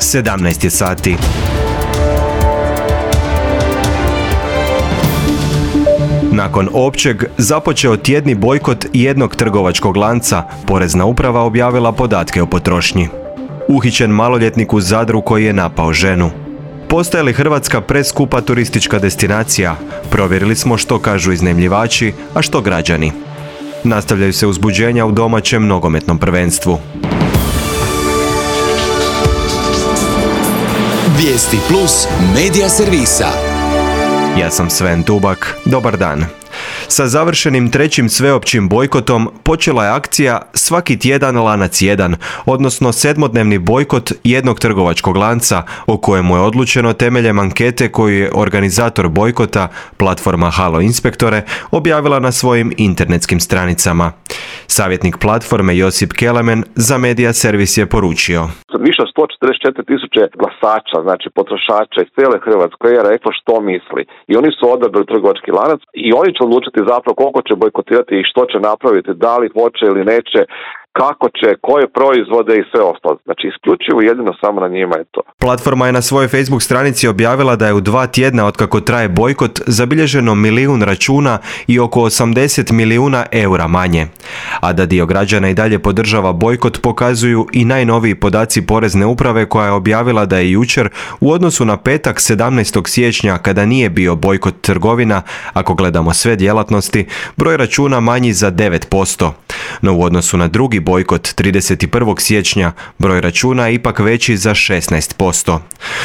17 je sati. Nakon općeg započeo tjedni bojkot jednog trgovačkog lanca, Porezna uprava objavila podatke o potrošnji. Uhićen maloljetnik u Zadru koji je napao ženu. Postaje li Hrvatska preskupa turistička destinacija? Provjerili smo što kažu iznajmljivači, a što građani. Nastavljaju se uzbuđenja u domaćem nogometnom prvenstvu. Vijesti plus medija servisa. Ja sam Sven Tubak, dobar dan. Sa završenim trećim sveopćim bojkotom počela je akcija Svaki tjedan lanac jedan, odnosno 7-dnevni bojkot jednog trgovačkog lanca o kojemu je odlučeno temeljem ankete koju je organizator bojkota, platforma Halo Inspektore, objavila na svojim internetskim stranicama. Savjetnik platforme Josip Kelemen za Medija servis je poručio. Više od 144.000 glasača, znači potrošača iz cijele Hrvatske je reklo što misli. I oni su odabrali trgovački lanac i oni će odlučiti zapravo koliko će bojkotirati i što će napraviti, da li hoće ili neće, kako će, koje proizvode i sve ostalo. Znači isključivo jedino samo na njima je to. Platforma je na svojoj Facebook stranici objavila da je u 2 tjedna otkako traje bojkot zabilježeno 1 milijun računa i oko 80 milijuna eura manje. A da dio građana i dalje podržava bojkot pokazuju i najnoviji podaci Porezne uprave koja je objavila da je jučer u odnosu na petak 17. siječnja kada nije bio bojkot trgovina, ako gledamo sve djelatnosti, broj računa manji za 9%. No u odnosu na drugi bojkot 31. siječnja broj računa je ipak veći za 16%.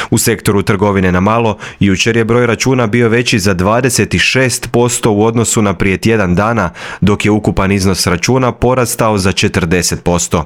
U sektoru trgovine na malo jučer je broj računa bio veći za 26% u odnosu na prije tjedan dana, dok je ukupan iznos računa porastao za 40%.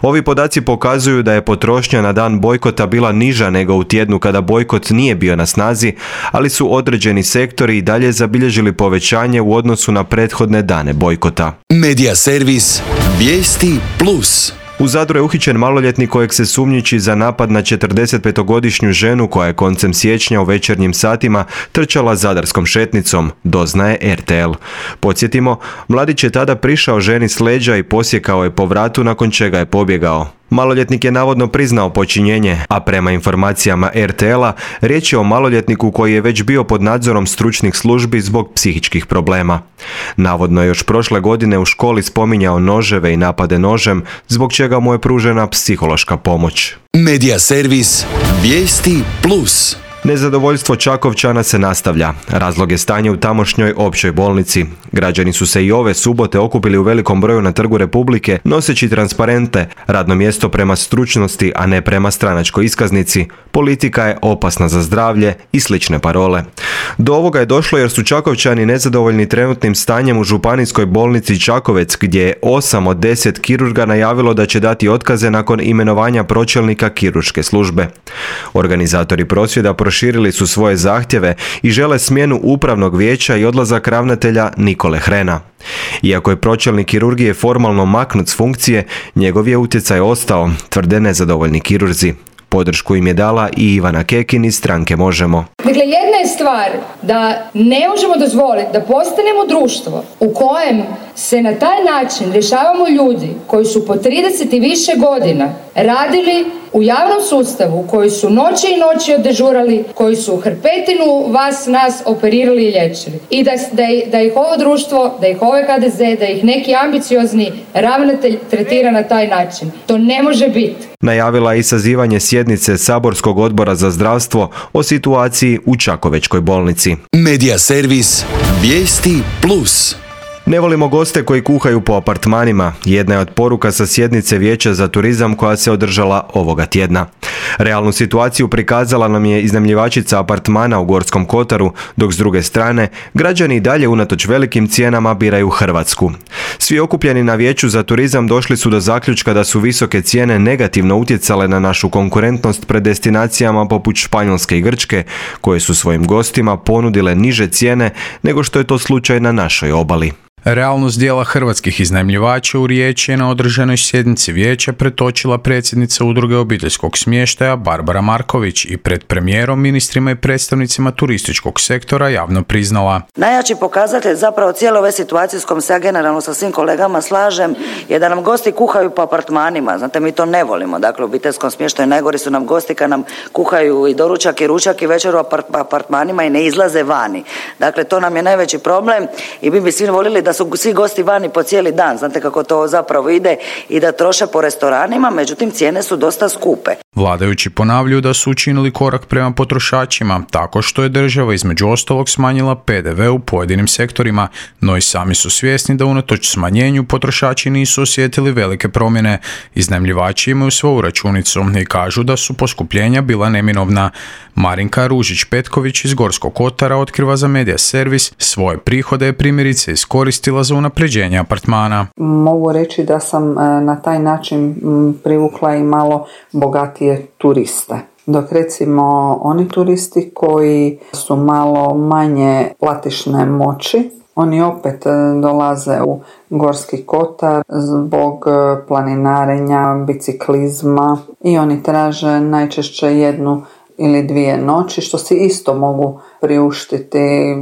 Ovi podaci pokazuju da je potrošnja na dan bojkota bila niža nego u tjednu kada bojkot nije bio na snazi, ali su određeni sektori i dalje zabilježili povećanje u odnosu na prethodne dane bojkota. Medija servis Vijesti plus. U Zadru je uhićen maloljetnik kojeg se sumnjiči za napad na 45-godišnju ženu koja je koncem siječnja u večernjim satima trčala zadarskom šetnicom, doznaje RTL. Podsjetimo, mladić je tada prišao ženi s leđa i posjekao je po vratu nakon čega je pobjegao. Maloljetnik je navodno priznao počinjenje, a prema informacijama RTL-a riječ je o maloljetniku koji je već bio pod nadzorom stručnih službi zbog psihičkih problema. Navodno je još prošle godine u školi spominjao noževe i napade nožem, zbog čega mu je pružena psihološka pomoć. Medija servis Vijesti plus. Nezadovoljstvo Čakovčana se nastavlja. Razlog je stanje u tamošnjoj općoj bolnici. Građani su se i ove subote okupili u velikom broju na Trgu Republike noseći transparente, radno mjesto prema stručnosti, a ne prema stranačkoj iskaznici, politika je opasna za zdravlje i slične parole. Do ovoga je došlo jer su Čakovčani nezadovoljni trenutnim stanjem u županijskoj bolnici Čakovec, gdje je 8 od 10 kirurga najavilo da će dati otkaze nakon imenovanja pročelnika kirurške službe. Organizatori prosvjeda proširili su svoje zahtjeve i žele smjenu upravnog vijeća i odlazak ravnatelja Nikole Hrena. Iako je pročelnik kirurgije formalno maknut s funkcije, njegov je utjecaj ostao, tvrde nezadovoljni kirurzi. Podršku im je dala i Ivana Kekin iz stranke Možemo. Dakle, jedna je stvar da ne možemo dozvoliti da postanemo društvo u kojem se na taj način rješavamo ljudi koji su po 30 i više godina radili u javnom sustavu, koji su noći i noći oddežurali, koji su hrpetinu nas operirali i liječili. I da ih ovo društvo, da ih ovaj HDZ, da ih neki ambiciozni ravnatelj tretira na taj način. To ne može biti. Najavila je i sazivanje sjednice Saborskog odbora za zdravstvo o situaciji u Čakovečkoj bolnici. Medija servis Vijesti plus. Ne volimo goste koji kuhaju po apartmanima, jedna je od poruka sa sjednice Vijeća za turizam koja se održala ovoga tjedna. Realnu situaciju prikazala nam je iznajmljivačica apartmana u Gorskom Kotaru, dok s druge strane građani i dalje unatoč velikim cijenama biraju Hrvatsku. Svi okupljeni na Vijeću za turizam došli su do zaključka da su visoke cijene negativno utjecale na našu konkurentnost pred destinacijama poput Španjolske i Grčke, koje su svojim gostima ponudile niže cijene nego što je to slučaj na našoj obali. Realnost dijela hrvatskih iznajmljivača u Rijeci je na održanoj sjednici vijeća pretočila predsjednica udruge obiteljskog smještaja Barbara Marković i pred premijerom, ministrima i predstavnicima turističkog sektora javno priznala. Najjači pokazatelj zapravo cijele ove situacije s kojom se ja generalno sa svim kolegama slažem je da nam gosti kuhaju po apartmanima. Znate, mi to ne volimo. Dakle, u obiteljskom smještaju najgori su nam gosti kad nam kuhaju i doručak i ručak i večer u apartmanima i ne izlaze vani. Dakle, to nam je najveći problem i mi bi svi voljeli da su svi gosti vani po cijeli dan. Znate kako to zapravo ide i da troše po restoranima, međutim cijene su dosta skupe. Vladajući ponavljaju da su učinili korak prema potrošačima tako što je država između ostalog smanjila PDV u pojedinim sektorima, no i sami su svjesni da unatoč smanjenju potrošači nisu osjetili velike promjene. Iznajmljivači imaju svoju računicu i kažu da su poskupljenja bila neminovna. Marinka Ružić-Petković iz Gorskog kotara otkriva za Medija servis svoje prihode je primjerice iskoristila za unapređenje apartmana. Mogu reći da sam na taj način privukla i malo bogatije turiste. Dok recimo oni turisti koji su malo manje platišne moći, oni opet dolaze u Gorski kotar zbog planinarenja, biciklizma i oni traže najčešće 1 ili 2 noći, što si isto mogu priuštiti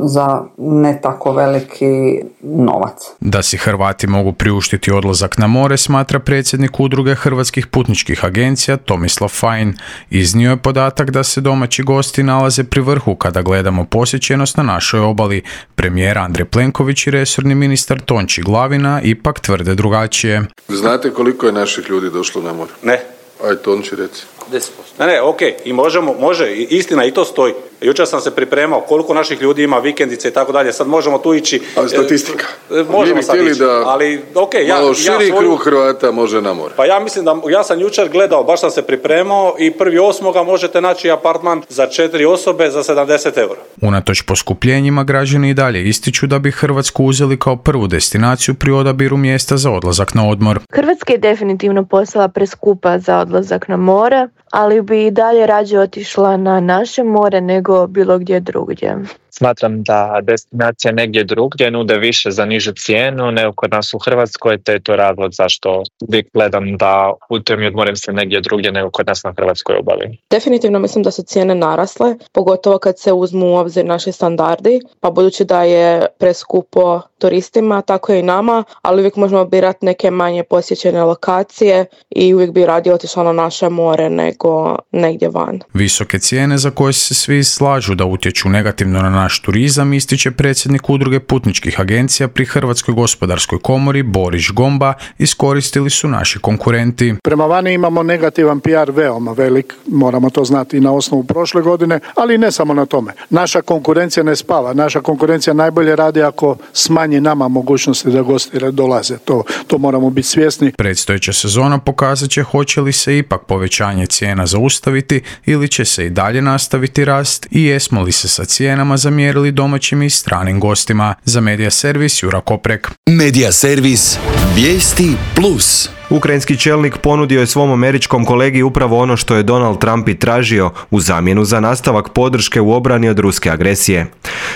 za ne tako veliki novac. Da si Hrvati mogu priuštiti odlazak na more, smatra predsjednik udruge hrvatskih putničkih agencija Tomislav Fajn. Iznio je podatak da se domaći gosti nalaze pri vrhu kada gledamo posjećenost na našoj obali. Premijer Andrej Plenković i resorni ministar Tonči Glavina ipak tvrde drugačije. Znate koliko je naših ljudi došlo na more? Ne. Aj, Tonči, reci. 10%. Ne, okej, i može, istina i to stoji. Jučer sam se pripremao koliko naših ljudi ima vikendice i tako dalje, sad možemo tu ići. Ali statistika. Možemo sad ići, ali okej, malo širi krug Hrvata može na more. Pa ja mislim da, ja sam jučer gledao, baš sam se pripremao i 1.8. možete naći apartman za 4 osobe za 70 eura. Unatoč poskupljenjima građani i dalje ističu da bi Hrvatsku uzeli kao prvu destinaciju pri odabiru mjesta za odlazak na odmor. Hrvatska je definitivno postala preskupa za odlazak na more, ali bi i dalje rađe otišla na naše more nego bilo gdje drugdje. Smatram da destinacija negdje drugdje nude više za nižu cijenu nego kod nas u Hrvatskoj, te je to razlog zašto uvijek gledam da putujem i odmorim se negdje drugdje nego kod nas na hrvatskoj obali. Definitivno mislim da su cijene narasle, pogotovo kad se uzmu u obzir naši standardi, pa budući da je preskupo turistima, tako je i nama, ali uvijek možemo birati neke manje posjećene lokacije i uvijek bi radije otišla na naše more nego negdje van. Visoke cijene za koje se svi slažu da utječu negativno na naš turizam, ističe predsjednik udruge putničkih agencija pri Hrvatskoj gospodarskoj komori Boris Gomba, iskoristili su naši konkurenti. Prema vani imamo negativan PR veoma velik, moramo to znati i na osnovu prošle godine, ali ne samo na tome. Naša konkurencija ne spava, naša konkurencija najbolje radi ako smanji nama mogućnosti da gosti dolaze. To moramo biti svjesni. Predstojeća sezona pokazat će hoće li se ipak povećanje cijena zaustaviti ili će se i dalje nastaviti rast i jesmo li se sa cijenama zamjerili domaćim i stranim gostima. Za Medija servis Jura Koprek. Medija servis Vijesti Plus. Ukrajinski čelnik ponudio je svom američkom kolegi upravo ono što je Donald Trump i tražio u zamjenu za nastavak podrške u obrani od ruske agresije.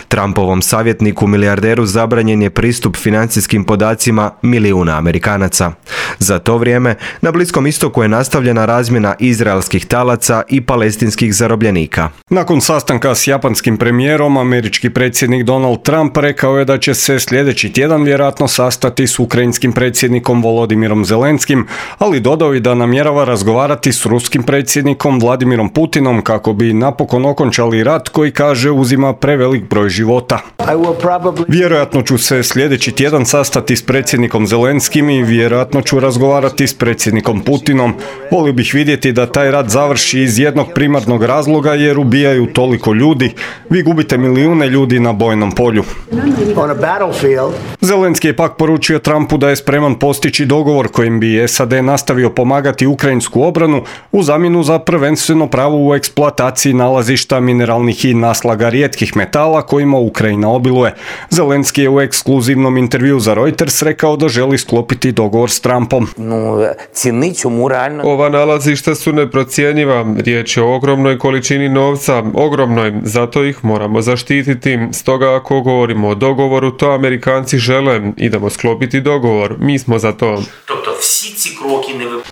Trumpovom savjetniku milijarderu zabranjen je pristup financijskim podacima milijuna Amerikanaca. Za to vrijeme na Bliskom istoku je nastavljena razmjena izraelskih talaca i palestinskih zarobljenika. Nakon sastanka s japanskim premijerom, američki predsjednik Donald Trump rekao je da će se sljedeći tjedan vjerojatno sastati s ukrajinskim predsjednikom Volodimirom Zelenskim, ali dodao i da namjerava razgovarati s ruskim predsjednikom Vladimirom Putinom kako bi napokon okončali rat koji, kaže, uzima prevelik broj života. Vjerojatno ću se sljedeći tjedan sastati s predsjednikom Zelenskim i vjerojatno ću razgovarati s predsjednikom Putinom. Volio bih vidjeti da taj rat završi iz jednog primarnog razloga jer ubijaju toliko ljudi. Vi gubite milijune ljudi na bojnom polju. Zelenski je pak poručio Trumpu da je spreman postići dogovor kojim bi SAD nastavio pomagati ukrajinsku obranu u zamjenu za prvenstveno pravo u eksploataciji nalazišta mineralnih i naslaga rijetkih metala kojima Ukrajina obiluje. Zelenski je u ekskluzivnom intervjuu za Reuters rekao da želi sklopiti dogovor s Trumpom. Izraelom. Ova nalazišta su neprocjenjiva, riječ je o ogromnoj količini novca, ogromnoj, zato ih moramo zaštititi. Stoga ako govorimo o dogovoru, to Amerikanci žele, idemo sklopiti dogovor, mi smo za to.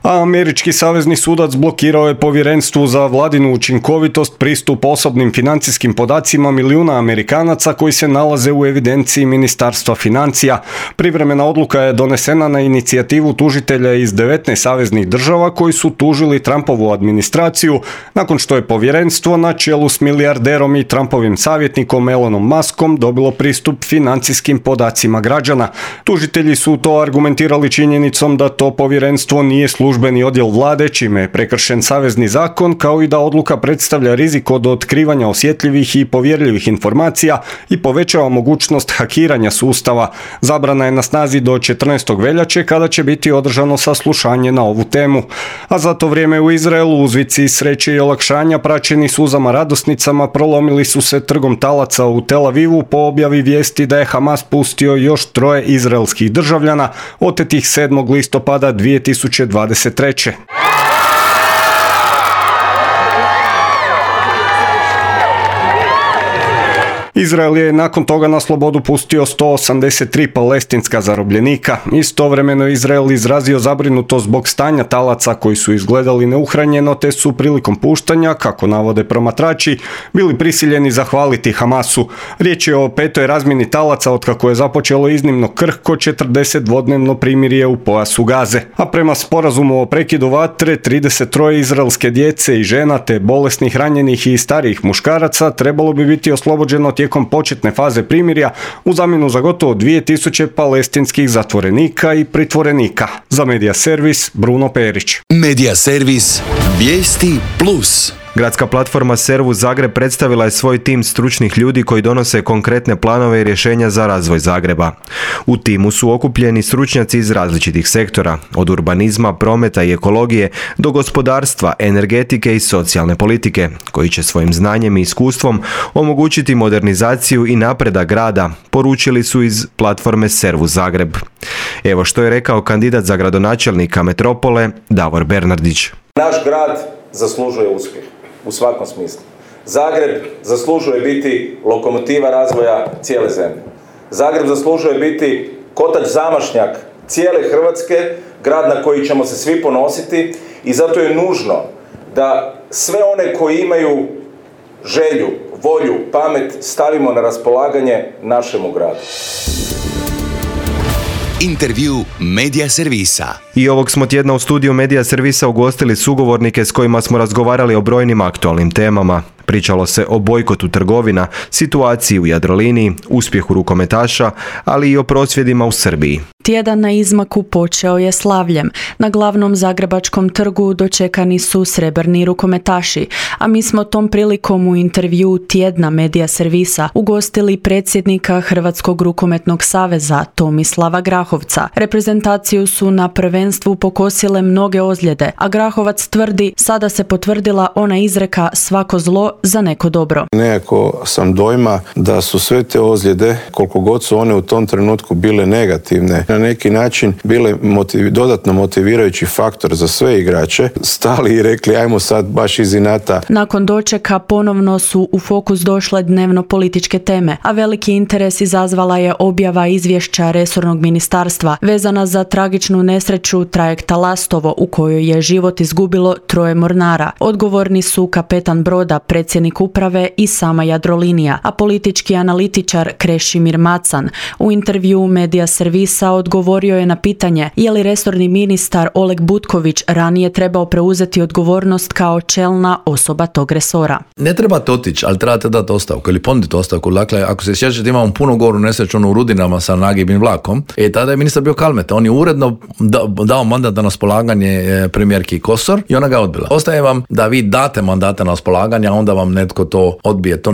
A američki savezni sudac blokirao je povjerenstvu za vladinu učinkovitost pristup osobnim financijskim podacima milijuna Amerikanaca koji se nalaze u evidenciji Ministarstva financija. Privremena odluka je donesena na inicijativu tužitelja iz 19 saveznih država koji su tužili Trumpovu administraciju nakon što je povjerenstvo na čelu s milijarderom i Trumpovim savjetnikom Elonom Muskom dobilo pristup financijskim podacima građana. Tužitelji su to argumentirali činjenicom da to povjerenstvo nije službeni odjel vlade, čime je prekršen savezni zakon, kao i da odluka predstavlja rizik od otkrivanja osjetljivih i povjerljivih informacija i povećava mogućnost hakiranja sustava. Zabrana je na snazi do 14. veljače kada će biti održano saslušanje na ovu temu. A za to vrijeme u Izraelu uzvici sreće i olakšanja praćeni suzama radosnicama prolomili su se trgom talaca u Tel Avivu po objavi vijesti da je Hamas pustio još 3 izraelskih državljana otetih 7. listopada 2023. Izrael je nakon toga na slobodu pustio 183 palestinska zarobljenika. Istovremeno Izrael izrazio zabrinutost zbog stanja talaca koji su izgledali neuhranjeno te su prilikom puštanja, kako navode promatrači, bili prisiljeni zahvaliti Hamasu. Riječ je o 5. razmjeni talaca otkako je započelo iznimno krhko 40-dvodnevno primirje u pojasu Gaze. A prema sporazumu o prekidu vatre, 33 izraelske djece i žena te bolesnih, ranjenih i starijih muškaraca trebalo bi biti oslobođeno tijekom početne faze primirja u zamjenu za gotovo 2000 palestinskih zatvorenika i pritvorenika. Za Medija Servis, Bruno Perić. Medija Servis, vijesti plus. Gradska platforma Servus Zagreb predstavila je svoj tim stručnih ljudi koji donose konkretne planove i rješenja za razvoj Zagreba. U timu su okupljeni stručnjaci iz različitih sektora, od urbanizma, prometa i ekologije do gospodarstva, energetike i socijalne politike, koji će svojim znanjem i iskustvom omogućiti modernizaciju i napredak grada, poručili su iz platforme Servus Zagreb. Evo što je rekao kandidat za gradonačelnika metropole Davor Bernardić. Naš grad zaslužuje uspjeh u svakom smislu. Zagreb zaslužuje biti lokomotiva razvoja cijele zemlje. Zagreb zaslužuje biti kotač zamašnjak cijele Hrvatske, grad na koji ćemo se svi ponositi i zato je nužno da sve one koji imaju želju, volju, pamet stavimo na raspolaganje našemu gradu. Intervju Medija Servisa. I ovog smo tjedna u studiju Medija Servisa ugostili sugovornike s kojima smo razgovarali o brojnim aktualnim temama. Pričalo se o bojkotu trgovina, situaciji u Jadroliniji, uspjehu rukometaša, ali i o prosvjedima u Srbiji. Tjedan na izmaku počeo je slavljem. Na glavnom zagrebačkom trgu dočekani su srebrni rukometaši, a mi smo tom prilikom u intervju tjedna Medija Servisa ugostili predsjednika Hrvatskog rukometnog saveza Tomislava Grahovca. Reprezentaciju su na prvenstvu pokosile mnoge ozljede, a Grahovac tvrdi sada se potvrdila ona izreka svako zlo za neko dobro. Nekako sam dojma da su sve te ozljede, koliko god su one u tom trenutku bile negativne, na neki način bile dodatno motivirajući faktor za sve igrače, stali i rekli ajmo sad baš iz inata. Nakon dočeka ponovno su u fokus došle dnevno političke teme, a veliki interes izazvala je objava izvješća resornog ministarstva vezana za tragičnu nesreću trajekta Lastovo u kojoj je život izgubilo 3 mornara. Odgovorni su kapetan broda, predsjednik uprave i sama Jadrolinija, a politički analitičar Krešimir Macan u intervju Medija Servisa odgovorio je na pitanje je li resorni ministar Oleg Butković ranije trebao preuzeti odgovornost kao čelna osoba tog resora. Ne trebate otići, ali trebate dati ostavku ili ponuditi ostavku. Dakle, ako se sjećate, imamo puno goru nesreću u Rudinama sa nagibnim vlakom. Tada je ministar bio Kalmeta. On je uredno dao mandat na raspolaganje premijerki Kosor i ona ga odbila. Ostaje vam da vi date mandate na raspolaganje, a onda vam netko to odbije. To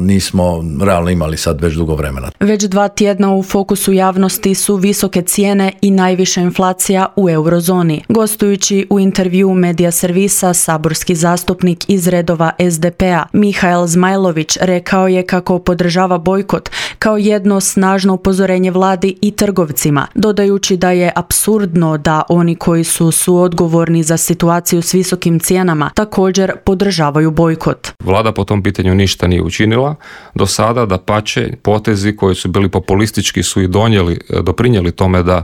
nismo realno imali sad već dugo vremena. Već 2 tjedna u fokusu javnosti su visoke cijene i najviša inflacija u eurozoni. Gostujući u intervju Medija Servisa, saborski zastupnik iz redova SDP-a Mihael Zmajlović rekao je kako podržava bojkot kao jedno snažno upozorenje vladi i trgovcima, dodajući da je apsurdno da oni koji su suodgovorni za situaciju s visokim cijenama također podržavaju bojkot. Vlada po tom pitanju ništa nije učinila do sada, dapače, potezi koji su bili populistički su i doprinijeli tome da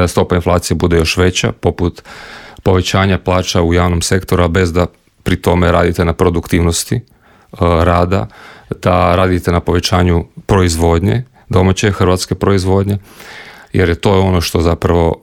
stopa inflacije bude još veća, poput povećanja plaća u javnom sektoru, a bez da pri tome radite na produktivnosti rada, da radite na povećanju proizvodnje, domaće hrvatske proizvodnje, jer je to ono što zapravo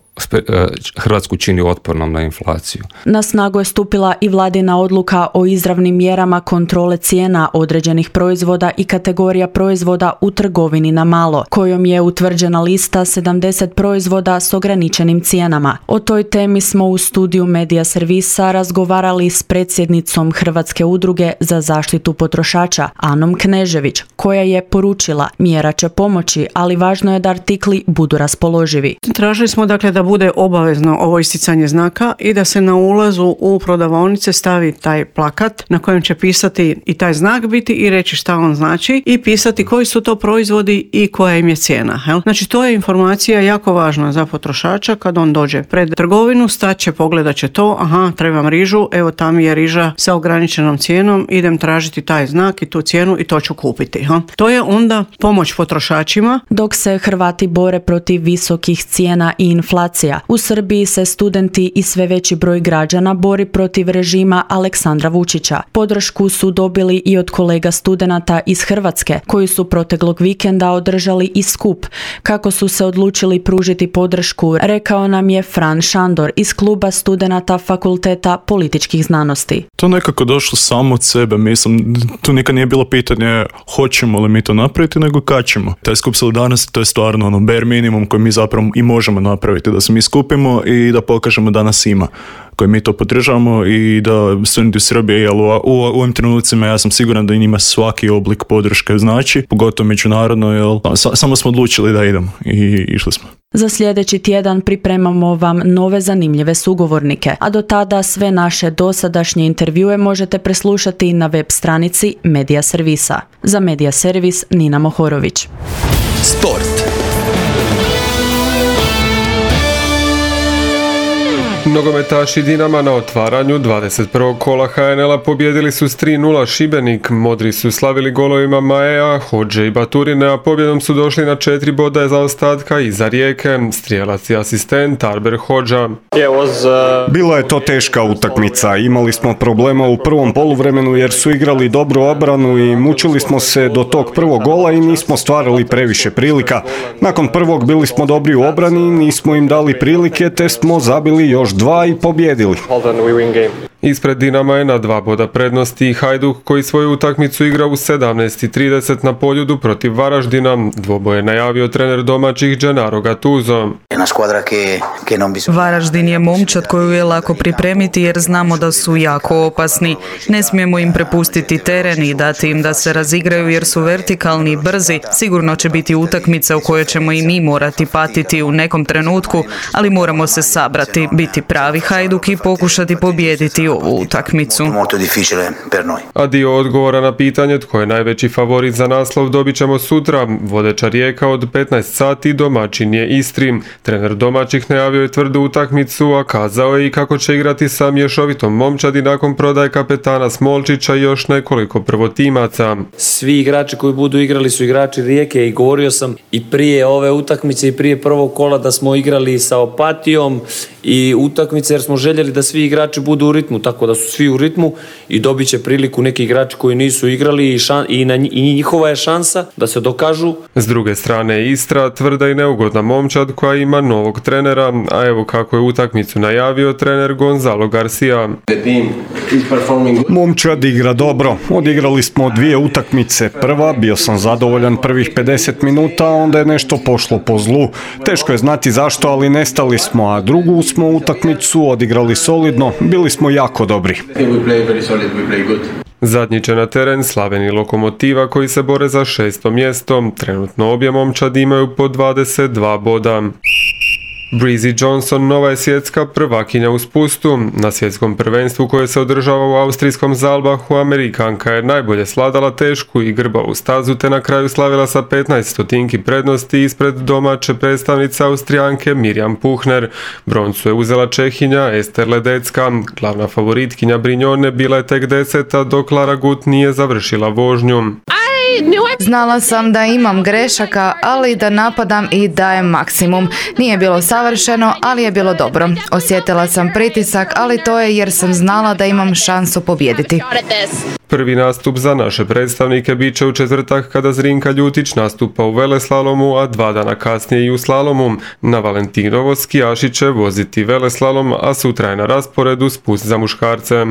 Hrvatsku čini otpornom na inflaciju. Na snagu je stupila i vladina odluka o izravnim mjerama kontrole cijena određenih proizvoda i kategorija proizvoda u trgovini na malo, kojom je utvrđena lista 70 proizvoda s ograničenim cijenama. O toj temi smo u studiju Medija Servisa razgovarali s predsjednicom Hrvatske udruge za zaštitu potrošača, Anom Knežević, koja je poručila: mjera će pomoći, ali važno je da artikli budu raspoloživi. Tražili smo dakle da bude obavezno ovo isticanje znaka i da se na ulazu u prodavaonice stavi taj plakat na kojem će pisati i taj znak biti i reći šta on znači i pisati koji su to proizvodi i koja im je cijena. Znači to je informacija jako važna za potrošača. Kad on dođe pred trgovinu, staće, pogledat će to, aha, trebam rižu, evo tam je riža sa ograničenom cijenom, idem tražiti taj znak i tu cijenu i to ću kupiti. To je onda pomoć potrošačima. Dok se Hrvati bore protiv visokih cijena i inflacija, u Srbiji se studenti i sve veći broj građana bori protiv režima Aleksandra Vučića. Podršku su dobili i od kolega studenata iz Hrvatske, koji su proteklog vikenda održali i skup. Kako su se odlučili pružiti podršku, rekao nam je Fran Šandor iz kluba studenata Fakulteta političkih znanosti. To nekako došlo samo od sebe, mislim, tu nikad nije bilo pitanje hoćemo li mi to napraviti, nego kad ćemo. Taj skup solidarnosti, to je stvarno bare minimum koji mi zapravo i možemo napraviti, da se mi skupimo i da pokažemo da nas ima, koji mi to podržavamo i da studenti u Srbiji, jer u ovim trenucima ja sam siguran da i njima svaki oblik podrške znači, pogotovo međunarodno, jer samo smo odlučili da idemo i išli smo. Za sljedeći tjedan pripremamo vam nove zanimljive sugovornike, a do tada sve naše dosadašnje intervjue možete preslušati na web stranici Medija Servisa. Za Medija Servis, Nina Mohorović. Sport. Nogometaši Dinama na otvaranju 21. kola HNL-a pobjedili su s 3-0 Šibenik. Modri su slavili golovima Maea, Hodže i Baturine, a pobjedom su došli na 4 boda zaostatka iza Rijeke. Strijelac i asistent Arber Hodža. Bila je to teška utakmica. Imali smo problema u prvom poluvremenu jer su igrali dobru obranu i mučili smo se do tog prvog gola i nismo stvarali previše prilika. Nakon prvog bili smo dobri u obrani, nismo im dali prilike te smo zabili još 2 i pobjedili. Ispred Dinama je na 2 boda prednosti Hajduk koji svoju utakmicu igra u 17:30 na Poljudu protiv Varaždina. Dvoboj je najavio trener domaćih Gennaro Gattuso. Varaždin je momčad koju je lako pripremiti jer znamo da su jako opasni. Ne smijemo im prepustiti teren i dati im da se razigraju jer su vertikalni i brzi. Sigurno će biti utakmica u kojoj ćemo i mi morati patiti u nekom trenutku, ali moramo se sabrati, biti pravi Hajduk i pokušati pobijediti ovu utakmicu. A dio odgovora na pitanje tko je najveći favorit za naslov dobit ćemo sutra. Vodeća Rijeka od 15 sati, domaćin je Istri. Trener domaćih najavio je tvrdu utakmicu, a kazao je i kako će igrati sa mješovitom momčadi nakon prodaje kapetana Smolčića i još nekoliko prvotimaca. Svi igrači koji budu igrali su igrači Rijeke i govorio sam i prije ove utakmice i prije prvog kola da smo igrali sa Opatijom i utakmice jer smo željeli da svi igrači budu u ritmu, tako da su svi u ritmu i dobit će priliku neki igrači koji nisu igrali i njihova je šansa da se dokažu. S druge strane Istra, tvrda i neugodna momčad koja ima novog trenera, a evo kako je utakmicu najavio trener Gonzalo Garcia. Momčad igra dobro. Odigrali smo 2 utakmice. Prva, bio sam zadovoljan prvih 50 minuta, onda je nešto pošlo po zlu. Teško je znati zašto, ali nestali smo, a drugu smo utakmicu odigrali solidno, bili smo jako dobri. Zadnji će na teren Slaven i Lokomotiva koji se bore za 6. mjesto. Trenutno obje momčadi imaju po 22 boda. Breezy Johnson nova je svjetska prvakinja u spustu. Na svjetskom prvenstvu koje se održava u austrijskom Zalbahu, Amerikanka je najbolje svladala tešku i grbavu stazu te na kraju slavila sa 15 stotinki prednosti ispred domaće predstavnice Austrijanke Mirjam Puchner. Broncu je uzela Čehinja Ester Ledecka. Glavna favoritkinja Brignone bila je tek 10, dok Lara Gut nije završila vožnju. Znala sam da imam grešaka, ali da napadam i dajem maksimum. Nije bilo savršeno, ali je bilo dobro. Osjetila sam pritisak, ali to je jer sam znala da imam šansu pobijediti. Prvi nastup za naše predstavnike bit će u četvrtak kada Zrinka Ljutić nastupa u veleslalomu, a 2 dana kasnije i u slalomu. Na Valentinovo skijaši će voziti veleslalom, a sutra je na rasporedu spust za muškarce.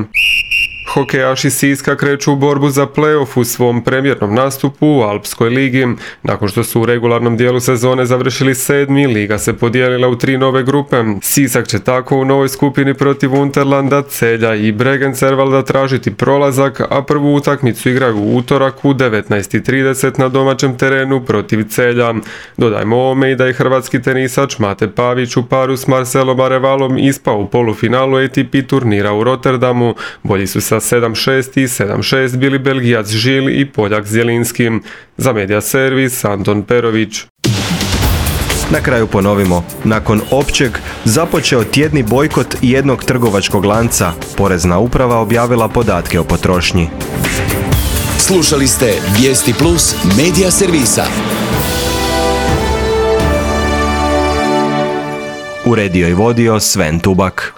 Hokejaši Siska kreću u borbu za play-off u svom premijernom nastupu u Alpskoj ligi. Nakon što su u regularnom dijelu sezone završili 7. liga se podijelila u 3 nove grupe. Sisak će tako u novoj skupini protiv Unterlanda, Celja i Bregencervalda tražiti prolazak, a prvu utakmicu igraju u utorak u 19:30 na domaćem terenu protiv Celja. Dodajmo ovome i da je hrvatski tenisač Mate Pavić u paru s Marcelom Arevalom ispao u polufinalu ATP turnira u Rotterdamu. Bolji su sa 7-6 i 7-6 bili Belgijac Žil i Poljak Zjelinski. Za Media Servis Anton Perović. Na kraju ponovimo, nakon općeg započeo tjedni bojkot jednog trgovačkog lanca. Porezna uprava objavila podatke o potrošnji. Slušali ste Vijesti Plus Media Servisa. Uredio i vodio Sven Tubak.